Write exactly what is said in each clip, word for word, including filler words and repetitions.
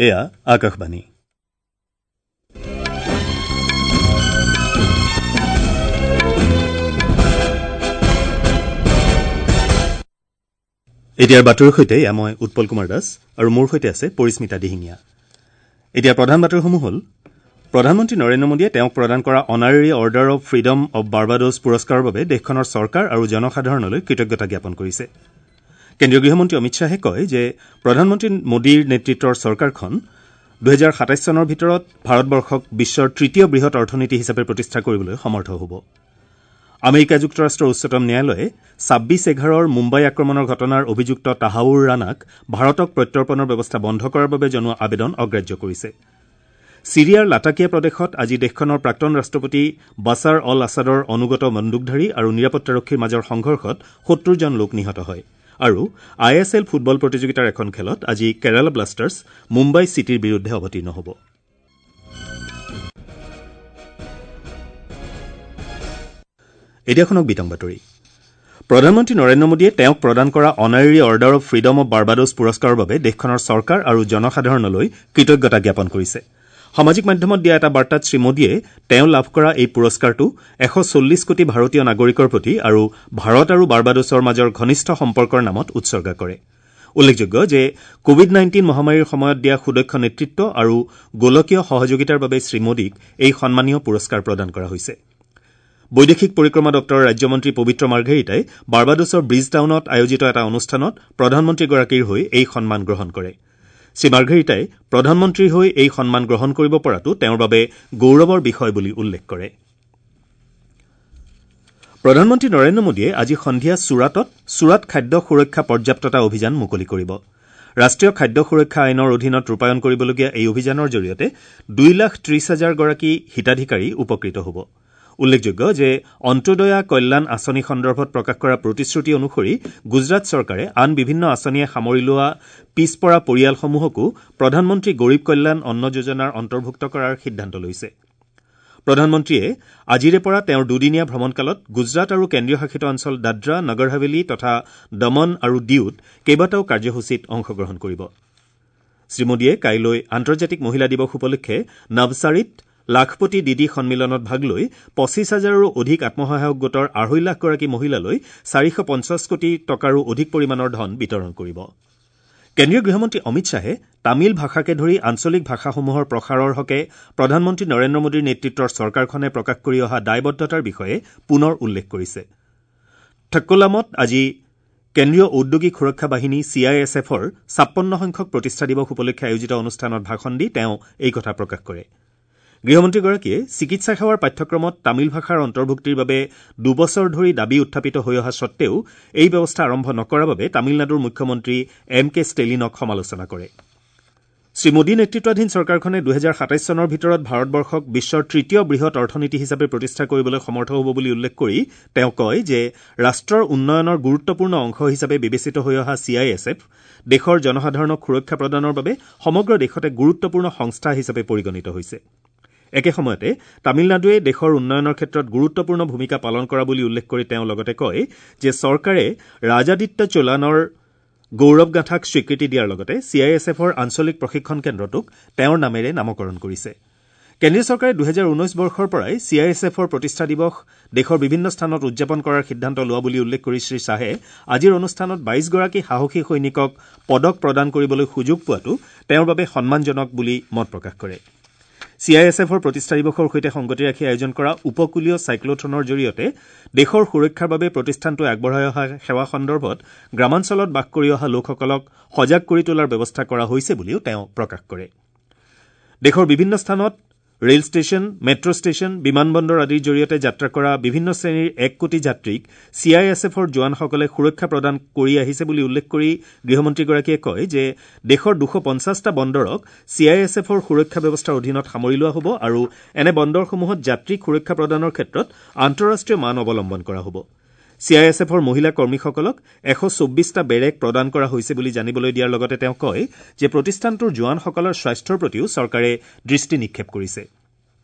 এয়া আকাশবাণী। এতিয়াৰ বাতৰিৰ সৈতে এয়া মই উৎপল কুমাৰ দাস আৰু মোৰ সৈতে আছে পৰিস্মিতা দিহিঙীয়া। এতিয়া প্ৰধান বাতৰিসমূহ হ'ল: প্ৰধানমন্ত্ৰী নৰেন্দ্ৰ মোদীয়ে তেওঁক প্ৰদান কৰা honorary order of freedom of Barbados পুৰস্কাৰৰ বাবে দেশখনৰ চৰকাৰ আৰু জনসাধাৰণলৈ কৃতজ্ঞতা জ্ঞাপন কৰিছে। কেন্দ্ৰীয় গৃহমন্ত্ৰী অমিত শ্বাহে কয় যে প্ৰধানমন্ত্ৰী মোদীৰ নেতৃত্বৰ চৰকাৰখন দুহেজাৰ সাতাইছ চনৰ ভিতৰত ভাৰতবৰ্ষক বিশ্বৰ তৃতীয় বৃহৎ অৰ্থনীতি হিচাপে প্ৰতিষ্ঠা কৰিবলৈ সমৰ্থ হ'ব। আমেৰিকা যুক্তৰাষ্ট্ৰৰ উচ্চতম ন্যায়ালয়ে ছাব্বিছ এঘাৰৰ মুম্বাই আক্ৰমণৰ ঘটনাৰ অভিযুক্ত তাহাউৰ ৰাণাক ভাৰতক প্ৰত্যৰ্পণৰ ব্যৱস্থা বন্ধ কৰাৰ বাবে জনোৱা আবেদন অগ্ৰাহ্য কৰিছে। ছিৰিয়াৰ লাটাকিয়া প্ৰদেশত আজি দেশখনৰ প্ৰাক্তন ৰাষ্ট্ৰপতি বাছাৰ অল আছাদৰ অনুগত বন্দুকধাৰী আৰু নিৰাপত্তাৰক্ষীৰ মাজৰ সংঘৰ্ষত সত্তৰজন লোক নিহত হয়। আৰু I S L football প্ৰতিযোগিতাৰ এখন খেলত আজি কেৰালা ব্লাষ্টাৰ্ছ মুম্বাই চিটিৰ বিৰুদ্ধে অৱতীৰ্ণ হ'ব। এতিয়া শুনক বিতং বাতৰি। প্ৰধানমন্ত্ৰী নৰেন্দ্ৰ মোদীয়ে তেওঁক প্ৰদান কৰা honorary order of freedom of Barbados পুৰস্কাৰৰ বাবে দেশখনৰ চৰকাৰ আৰু জনসাধাৰণলৈ কৃতজ্ঞতা জ্ঞাপন কৰিছে। সামাজিক মাধ্যমত দিয়া এটা বাৰ্তাত শ্ৰীমোদীয়ে তেওঁ লাভ কৰা এই পুৰস্কাৰটো এশ চল্লিছ কোটি ভাৰতীয় নাগৰিকৰ প্ৰতি আৰু ভাৰত আৰু বাৰ্বাডোছৰ মাজৰ ঘনিষ্ঠ সম্পৰ্কৰ নামত উৎসৰ্গা কৰে। উল্লেখযোগ্য যে কোভিড নাইণ্টিন মহামাৰীৰ সময়ত দিয়া সুদক্ষ নেতৃত্ব আৰু গোলকীয় সহযোগিতাৰ বাবে শ্ৰীমোদীক এই সন্মানীয় পুৰস্কাৰ প্ৰদান কৰা হৈছে। বৈদেশিক পৰিক্ৰমা দপ্তৰৰ ৰাজ্যমন্ত্ৰী পবিত্ৰ মাৰ্ঘেৰিটাই বাৰ্বাডোছৰ ব্ৰিজ টাউনত আয়োজিত এটা অনুষ্ঠানত প্ৰধানমন্ত্ৰীগৰাকীৰ হৈ এই সন্মান গ্ৰহণ কৰে। শ্ৰীমাৰ্ঘেৰিটাই প্ৰধানমন্ত্ৰীৰ হৈ এই সন্মান গ্ৰহণ কৰিব পৰাটো তেওঁৰ বাবে গৌৰৱৰ বিষয় বুলি উল্লেখ কৰে। প্ৰধানমন্ত্ৰী নৰেন্দ্ৰ মোদীয়ে আজি সন্ধিয়া ছুৰাটত ছুৰাট খাদ্য সুৰক্ষা পৰ্যাপ্ততা অভিযান মুকলি কৰিব। ৰাষ্ট্ৰীয় খাদ্য সুৰক্ষা আইনৰ অধীনত ৰূপায়ণ কৰিবলগীয়া এই অভিযানৰ জৰিয়তে দুই লাখ ত্ৰিশ হাজাৰগৰাকী হিতাধিকাৰী উপকৃত হ'ব। উল্লেখযোগ্য যে অন্ত্যোদয়া কল্যাণ আঁচনি সন্দৰ্ভত প্ৰকাশ কৰা প্ৰতিশ্ৰুতি অনুসৰি গুজৰাট চৰকাৰে আন বিভিন্ন আঁচনিয়ে সামৰি লোৱা পিছপৰা পৰিয়ালসমূহকো প্ৰধানমন্ত্ৰী গৰীব কল্যাণ অন্ন যোজনাৰ অন্তৰ্ভুক্ত কৰাৰ সিদ্ধান্ত লৈছে। প্ৰধানমন্ত্ৰীয়ে আজিৰে পৰা তেওঁৰ দুদিনীয়া ভ্ৰমণকালত গুজৰাট আৰু কেন্দ্ৰীয় শাসিত অঞ্চল দাদৰা, নগৰ হাভেলী তথা দমন আৰু ডিউত কেইবাটাও কাৰ্যসূচীত অংশগ্ৰহণ কৰিব। শ্ৰীমোদীয়ে কাইলৈ আন্তৰ্জাতিক মহিলা দিৱস উপলক্ষে নৱছাৰীত লাখপতি দিদি সন্মিলনত ভাগ লৈ পঁচিছ হাজাৰৰো অধিক আত্মসহায়ক গোটৰ আঢ়ৈ লাখগৰাকী মহিলালৈ চাৰিশ পঞ্চাছ কোটি টকাৰো অধিক পৰিমাণৰ ধন বিতৰণ কৰিব। কেন্দ্ৰীয় গৃহমন্ত্ৰী অমিত শ্বাহে তামিল ভাষাকে ধৰি আঞ্চলিক ভাষাসমূহৰ প্ৰসাৰৰ হকে প্ৰধানমন্ত্ৰী নৰেন্দ্ৰ মোদীৰ নেতৃত্বৰ চৰকাৰখনে প্ৰকাশ কৰি অহা দায়বদ্ধতাৰ বিষয়ে পুনৰ উল্লেখ কৰিছে। থক্কোলামত আজি কেন্দ্ৰীয় ঔদ্যোগিক সুৰক্ষা বাহিনী চি I S এফৰ ছাপন্ন সংখ্যক প্ৰতিষ্ঠা দিৱস উপলক্ষে আয়োজিত অনুষ্ঠানত ভাষণ দি তেওঁ এই কথা প্ৰকাশ কৰে। গৃহমন্ত্ৰীগৰাকীয়ে চিকিৎসা সেৱাৰ পাঠ্যক্ৰমত তামিল ভাষাৰ অন্তৰ্ভুক্তিৰ বাবে দুবছৰ ধৰি দাবী উত্থাপিত হৈ অহা সত্বেও এই ব্যৱস্থা আৰম্ভ নকৰাৰ বাবে তামিলনাডুৰ মুখ্যমন্ত্ৰী এম কে ষ্টেলিনক সমালোচনা কৰে। শ্ৰীমোদী নেতৃত্বাধীন চৰকাৰখনে দুহেজাৰ সাতাইছ চনৰ ভিতৰত ভাৰতবৰ্ষক বিশ্বৰ তৃতীয় বৃহৎ অৰ্থনীতি হিচাপে প্ৰতিষ্ঠা কৰিবলৈ সমৰ্থ হ'ব বুলি উল্লেখ কৰি তেওঁ কয় যে ৰাষ্ট্ৰৰ উন্নয়নৰ গুৰুত্বপূৰ্ণ অংশ হিচাপে বিবেচিত হৈ অহা চি I S F দেশৰ জনসাধাৰণক সুৰক্ষা প্ৰদানৰ বাবে সমগ্ৰ দেশতে গুৰুত্বপূৰ্ণ সংস্থা হিচাপে পৰিগণিত হৈছে। একে সময়তে তামিলনাডুৱে দেশৰ উন্নয়নৰ ক্ষেত্ৰত গুৰুত্বপূৰ্ণ ভূমিকা পালন কৰা বুলি উল্লেখ কৰি তেওঁ লগতে কয় যে চৰকাৰে ৰাজাদিত্য চোলানৰ গৌৰৱগাঁথাক স্বীকৃতি দিয়াৰ লগতে চি I S এফৰ আঞ্চলিক প্ৰশিক্ষণ কেন্দ্ৰটোক তেওঁৰ নামেৰে নামকৰণ কৰিছে। কেন্দ্ৰীয় চৰকাৰে দুহেজাৰ ঊনৈছ বৰ্ষৰ পৰাই চি I S এফৰ প্ৰতিষ্ঠা দিৱস দেশৰ বিভিন্ন স্থানত উদযাপন কৰাৰ সিদ্ধান্ত লোৱা বুলি উল্লেখ কৰি শ্ৰীশ্বাহে আজিৰ অনুষ্ঠানত বাইছগৰাকী সাহসী সৈনিকক পদক প্ৰদান কৰিবলৈ সুযোগ পোৱাটো তেওঁৰ বাবে সন্মানজনক বুলি মত প্ৰকাশ কৰে। চি I S এফৰ প্ৰতিষ্ঠা দিৱসৰ সৈতে সংগতি ৰাখি আয়োজন কৰা উপকূলীয় চাইক্লথনৰ জৰিয়তে দেশৰ সুৰক্ষাৰ বাবে প্ৰতিষ্ঠানটোৱে আগবঢ়াই অহা সেৱা সন্দৰ্ভত গ্ৰামাঞ্চলত বাস কৰি অহা লোকসকলক সজাগ কৰি তোলাৰ ব্যৱস্থা কৰা হৈছে বুলিও তেওঁ প্ৰকাশ কৰে। দেশৰ বিভিন্ন স্থানত ৰেল ষ্টেচন, মেট্ৰ' ষ্টেচন, বিমানবন্দৰ আদিৰ জৰিয়তে যাত্ৰা কৰা বিভিন্ন শ্ৰেণীৰ এক কোটি যাত্ৰীক চি I S এফৰ জোৱানসকলে সুৰক্ষা প্ৰদান কৰি আহিছে বুলি উল্লেখ কৰি গৃহমন্ত্ৰীগৰাকীয়ে কয় যে দেশৰ দুশ পঞ্চাছটা বন্দৰক চি I S এফৰ সুৰক্ষা ব্যৱস্থাৰ অধীনত সামৰি লোৱা হ'ব আৰু এনে বন্দৰসমূহত যাত্ৰীক সুৰক্ষা প্ৰদানৰ ক্ষেত্ৰত আন্তঃৰাষ্ট্ৰীয় মান অৱলম্বন কৰা হ'ব। চি I S এফৰ মহিলা কৰ্মীসকলক এশ চৌব্বিছটা বেৰেক প্ৰদান কৰা হৈছে বুলি জানিবলৈ দিয়াৰ লগতে তেওঁ কয় যে প্ৰতিষ্ঠানটোৰ জোৱানসকলৰ স্বাস্থ্যৰ প্ৰতিও চৰকাৰে দৃষ্টি নিক্ষেপ কৰিছে।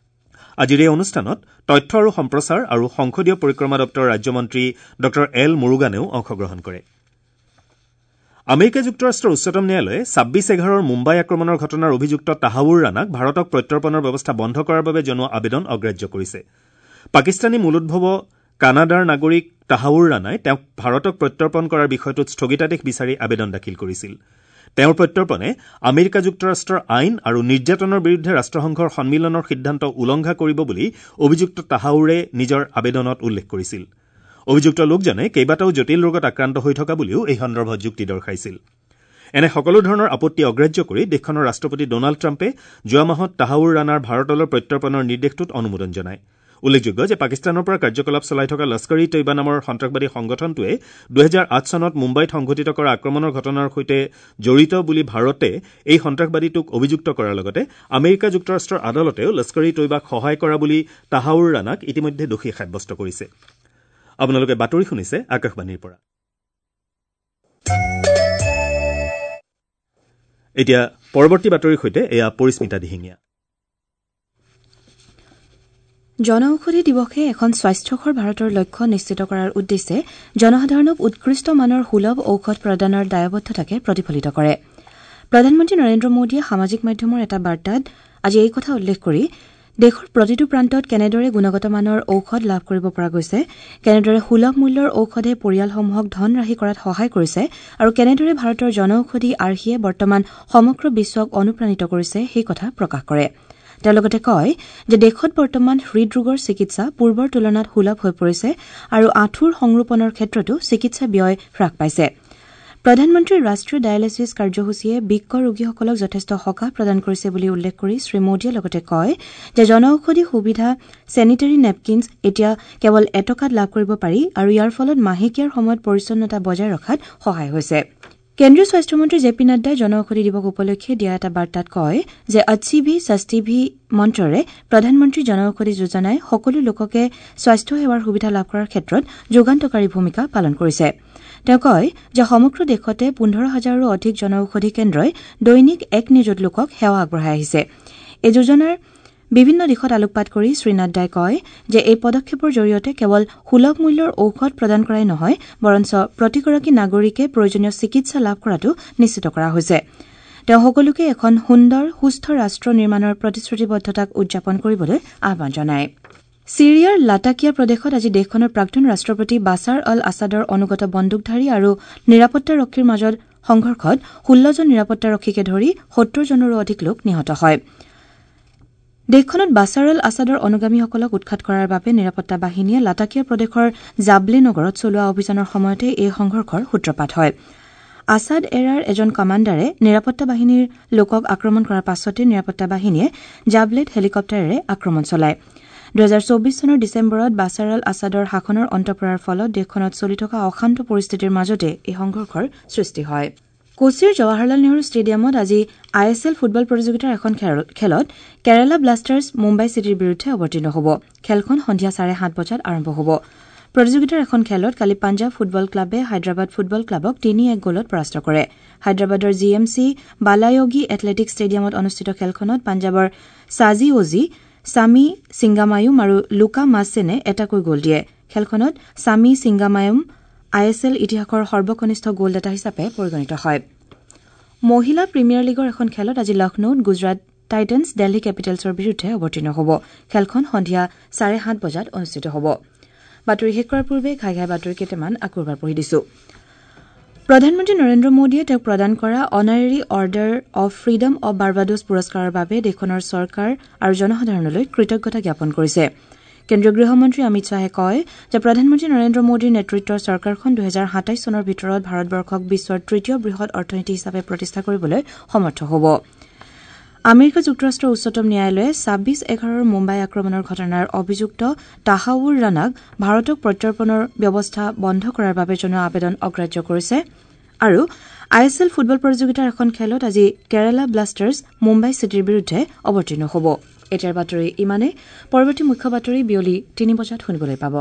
আজিৰ এই অনুষ্ঠানত তথ্য আৰু সম্প্ৰচাৰ আৰু সংসদীয় পৰিক্ৰমা দপ্তৰৰ ৰাজ্যমন্ত্ৰী ডঃ এল মুৰুগানেও অংশগ্ৰহণ কৰে। আমেৰিকা যুক্তৰাষ্ট্ৰৰ উচ্চতম ন্যায়ালয়ে ছাব্বিছ এঘাৰৰ মুম্বাই আক্ৰমণৰ ঘটনাৰ অভিযুক্ত তাহাউৰ ৰাণাক ভাৰতক প্ৰত্যৰ্পণৰ ব্যৱস্থা বন্ধ কৰাৰ বাবে জনোৱা আবেদন অগ্ৰাহ্য কৰিছে। পাকিস্তানী মূলোদ্ভৱ কানাডাৰ নাগৰিক তাহাউৰ ৰাণাই তেওঁক ভাৰতক প্ৰত্যৰ্পণ কৰাৰ বিষয়টোত স্থগিতাদেশ বিচাৰি আবেদন দাখিল কৰিছিল। তেওঁৰ প্ৰত্যৰ্পণে আমেৰিকা যুক্তৰাষ্ট্ৰৰ আইন আৰু নিৰ্যাতনৰ বিৰুদ্ধে ৰাষ্ট্ৰসংঘৰ সন্মিলনৰ সিদ্ধান্ত উলংঘা কৰিব বুলি অভিযুক্ত তাহাউৰে নিজৰ আবেদনত উল্লেখ কৰিছিল। অভিযুক্ত লোকজনে কেইবাটাও জটিল ৰোগত আক্ৰান্ত হৈ থকা বুলিও এই সন্দৰ্ভত যুক্তি দৰ্শাইছিল। এনে সকলো ধৰণৰ আপত্তি অগ্ৰাহ্য কৰি দেশখনৰ ৰাষ্ট্ৰপতি ডনাল্ড ট্ৰাম্পে যোৱা মাহত তাহাউৰ ৰাণাৰ ভাৰতলৈ প্ৰত্যৰ্পণৰ নিৰ্দেশটোত অনুমোদন জনায়। উল্লেখযোগ্য যে পাকিস্তানৰ পৰা কাৰ্যকলাপ চলাই থকা লস্কৰ ই তৈবা নামৰ সন্ত্ৰাসবাদী সংগঠনটোৱে দুহেজাৰ আঠ চনত মুম্বাইত সংঘটিত কৰা আক্ৰমণৰ ঘটনাৰ সৈতে জড়িত বুলি ভাৰতে এই সন্ত্ৰাসবাদীটোক অভিযুক্ত কৰাৰ লগতে আমেৰিকা যুক্তৰাষ্ট্ৰৰ আদালতেও লস্কৰ ই তৈবাক সহায় কৰা বুলি তাহাউৰ ৰাণাক ইতিমধ্যে দোষী সাব্যস্ত কৰিছে। আপোনালোকে বাতৰি শুনিছে আকাশবাণীৰ পৰা। এতিয়া পৰৱৰ্তী বাতৰিৰ সৈতে এয়া পৰিস্মিতা দিহিঙীয়া। জনঔষধি দিৱসে এখন স্বাস্থ্যকৰ ভাৰতৰ লক্ষ্য নিশ্চিত কৰাৰ উদ্দেশ্যে জনসাধাৰণক উৎকৃষ্ট মানৰ সুলভ ঔষধ প্ৰদানৰ দায়বদ্ধতাকে প্ৰতিফলিত কৰে। প্ৰধানমন্ত্ৰী নৰেন্দ্ৰ মোদীয়ে সামাজিক মাধ্যমৰ এটা বাৰ্তাত আজি এই কথা উল্লেখ কৰি দেশৰ প্ৰতিটো প্ৰান্তত কেনেদৰে গুণগত মানৰ ঔষধ লাভ কৰিব পৰা গৈছে, কেনেদৰে সুলভ মূল্যৰ ঔষধে পৰিয়ালসমূহক ধন ৰাহি কৰাত সহায় কৰিছে আৰু কেনেদৰে ভাৰতৰ জনঔষধি আৰ্হিয়ে বৰ্তমান সমগ্ৰ বিশ্বক অনুপ্ৰাণিত কৰিছে সেই কথা প্ৰকাশ কৰে। তেওঁ লগতে কয় যে দেশত বৰ্তমান হৃদৰোগৰ চিকিৎসা পূৰ্বৰ তুলনাত সুলভ হৈ পৰিছে আৰু আঁঠুৰ সংৰোপণৰ ক্ষেত্ৰতো চিকিৎসা ব্যয় হ্ৰাস পাইছে। প্ৰধানমন্ত্ৰীৰ ৰাষ্ট্ৰীয় ডায়েলিছিছ কাৰ্যসূচীয়ে বৃক্ক ৰোগীসকলক যথেষ্ট সকাহ প্ৰদান কৰিছে বুলি উল্লেখ কৰি শ্ৰীমোদীয়ে লগতে কয় যে জনঔষধি সুবিধা চেনিটেৰী নেপকিনছ এতিয়া কেৱল এটকাত লাভ কৰিব পাৰি আৰু ইয়াৰ ফলত মাহেকীয়াৰ সময়ত পৰিচ্ছন্নতা বজাই ৰখাত সহায় হৈছে। কেন্দ্ৰীয় স্বাস্থ্যমন্ত্ৰী জে পি নাড্ডাই জনঔষধি দিৱস উপলক্ষে দিয়া এটা বাৰ্তাত কয় যে অচ্ছি ভি সস্তি ভি মন্ত্ৰৰে প্ৰধানমন্ত্ৰী জনঔষধি যোজনাই সকলো লোককে স্বাস্থ্য সেৱাৰ সুবিধা লাভ কৰাৰ ক্ষেত্ৰত যুগান্তকাৰী ভূমিকা পালন কৰিছে। তেওঁ কয় যে সমগ্ৰ দেশতে পোন্ধৰ হাজাৰৰো অধিক জনঔষধি কেন্দ্ৰই দৈনিক এক নিযুত লোকক সেৱা আগবঢ়াই আহিছে। এই যোজনাৰ বিভিন্ন দিশত আলোকপাত কৰি শ্ৰীনাড্ডাই কয় যে এই পদক্ষেপৰ জৰিয়তে কেৱল সুলভ মূল্যৰ ঔষধ প্ৰদান কৰাই নহয়, বৰঞ্চ প্ৰতিগৰাকী নাগৰিকে প্ৰয়োজনীয় চিকিৎসা লাভ কৰাটো নিশ্চিত কৰা হৈছে। তেওঁ সকলোকে এখন সুন্দৰ সুস্থ ৰাষ্ট্ৰ নিৰ্মাণৰ প্ৰতিশ্ৰুতিবদ্ধতাক উদযাপন কৰিবলৈ আহ্বান জনায়। ছিৰিয়াৰ লাটাকিয়া প্ৰদেশত আজি দেশখনৰ প্ৰাক্তন ৰাষ্ট্ৰপতি বাছাৰ অল আছাদৰ অনুগত বন্দুকধাৰী আৰু নিৰাপত্তাৰক্ষীৰ মাজত সংঘৰ্ষত ষোল্লজন নিৰাপত্তাৰক্ষীকে ধৰি সত্তৰজনৰো অধিক লোক নিহত হয়। দেশখনত বাছাৰ অল আছাদৰ অনুগামীসকলক উৎখাত কৰাৰ বাবে নিৰাপত্তা বাহিনীয়ে লাটাকিয়া প্ৰদেশৰ জাবলে নগৰত চলোৱা অভিযানৰ সময়তে এই সংঘৰ্ষৰ সূত্ৰপাত হয়। আছাদ এৰাৰ এজন কমাণ্ডাৰে নিৰাপত্তা বাহিনীৰ লোকক আক্ৰমণ কৰাৰ পাছতে নিৰাপত্তা বাহিনীয়ে জাবলেত হেলিকপ্টাৰেৰে আক্ৰমণ চলায়। দুহেজাৰ চৌবিশ চনৰ ডিচেম্বৰত বাছাৰ অল আছাদৰ শাসনৰ অন্ত পৰাৰ ফলত দেশখনত চলি থকা অশান্ত পৰিস্থিতিৰ মাজতে এই সংঘৰ্ষৰ সৃষ্টি হয়। কোচিৰ জৱাহৰলাল নেহৰু ষ্টেডিয়ামত আজি I S L football প্ৰতিযোগিতাৰ এখন খেলত কেৰালা ব্লাষ্টাৰ্ছ মুম্বাই চিটিৰ বিৰুদ্ধে অৱতীৰ্ণ হ'ব। খেলখন সন্ধিয়া চাৰে সাত বজাত আৰম্ভ হ'ব। প্ৰতিযোগিতাৰ এখন খেলত কালি পাঞ্জাৱ ফুটবল ক্লাবে হায়দৰাবাদ ফুটবল ক্লাবক তিনি এক গ'লত পৰাস্ত কৰে। হায়দৰাবাদৰ G M C Balayogi athletic ষ্টেডিয়ামত অনুষ্ঠিত খেলখনত পাঞ্জাৱৰ ছাজি অজি, ছামি ছিংগামায়ুম আৰু লুকা মাছেনে এটাকৈ গ'ল দিয়ে। খেলখনত ছামি ছিংগামায়ুম I S L ইতিহাসৰ সৰ্বকনিষ্ঠ গ'লদাতা হিচাপে পৰিগণিত হয়। মহিলা প্ৰিমিয়াৰ লীগৰ এখন খেলত আজি লক্ষ্ণৌত গুজৰাট টাইটেন্স দিল্লী কেপিটেলছৰ বিৰুদ্ধে অৱতীৰ্ণ হ'ব। খেলখন সন্ধিয়া চাৰে সাত বজাত অনুষ্ঠিত হ'ব। বাতৰি শেষ কৰাৰ পূৰ্বে ঘাই ঘাই বাতৰি কেইটামান আকৌ এবাৰ পঢ়ি দিছো। প্ৰধানমন্ত্ৰী নৰেন্দ্ৰ মোদীয়ে তেওঁক প্ৰদান কৰা honorary order of freedom of Barbados পুৰস্কাৰৰ বাবে দেশখনৰ চৰকাৰ আৰু জনসাধাৰণলৈ কৃতজ্ঞতা জ্ঞাপন কৰিছে। কেন্দ্ৰীয় গৃহমন্ত্ৰী অমিত শ্বাহে কয় যে প্ৰধানমন্ত্ৰী নৰেন্দ্ৰ মোদীৰ নেতৃত্বৰ চৰকাৰখন দুহেজাৰ সাতাইছ চনৰ ভিতৰত ভাৰতবৰ্ষক বিশ্বৰ তৃতীয় বৃহৎ অৰ্থনীতি হিচাপে প্ৰতিষ্ঠা কৰিবলৈ সমৰ্থ হ'ব। আমেৰিকা যুক্তৰাষ্ট্ৰৰ উচ্চতম ন্যায়ালয়ে ছাব্বিছ এঘাৰৰ মুম্বাই আক্ৰমণৰ ঘটনাৰ অভিযুক্ত তাহাউৰ ৰাণাক ভাৰতক প্ৰত্যৰ্পণৰ ব্যৱস্থা বন্ধ কৰাৰ বাবে জনোৱা আবেদন অগ্ৰাহ্য কৰিছে। আৰু I S L football প্ৰতিযোগিতাৰ এখন খেলত আজি কেৰালা ব্লাষ্টাৰ্ছ মুম্বাই চিটিৰ বিৰুদ্ধে অৱতীৰ্ণ হ'ব। এতিয়াৰ বাতৰি ইমানেই। পৰৱৰ্তী মুখ্য বাতৰি বিয়লি তিনি বজাত শুনিবলৈ পাব।